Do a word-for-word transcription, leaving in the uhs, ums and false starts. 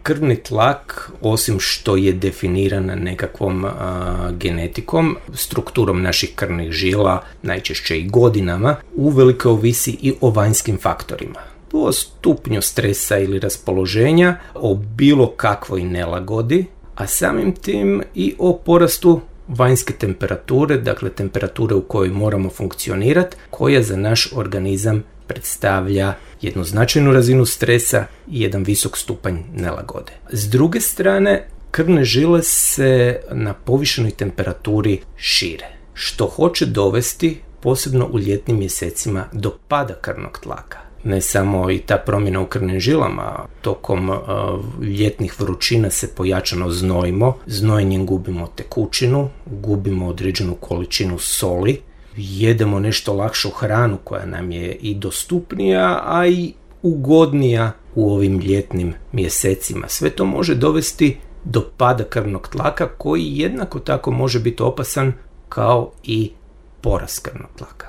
Krvni tlak, osim što je definiran nekakvom a, genetikom, strukturom naših krvnih žila, najčešće i godinama, uvelike ovisi i o vanjskim faktorima. O stupnju stresa ili raspoloženja, o bilo kakvoj nelagodi, a samim tim i o porastu vanjske temperature, dakle temperature u kojoj moramo funkcionirati, koja za naš organizam predstavlja jednu značajnu razinu stresa i jedan visok stupanj nelagode. S druge strane, krvne žile se na povišenoj temperaturi šire, što hoće dovesti, posebno u ljetnim mjesecima, do pada krvnog tlaka. Ne samo i ta promjena u krvnim žilama, tokom uh, ljetnih vrućina se pojačano znojimo, znojenjem gubimo tekućinu, gubimo određenu količinu soli, jedemo nešto lakšu hranu koja nam je i dostupnija, a i ugodnija u ovim ljetnim mjesecima. Sve to može dovesti do pada krvnog tlaka koji jednako tako može biti opasan kao i porast krvnog tlaka.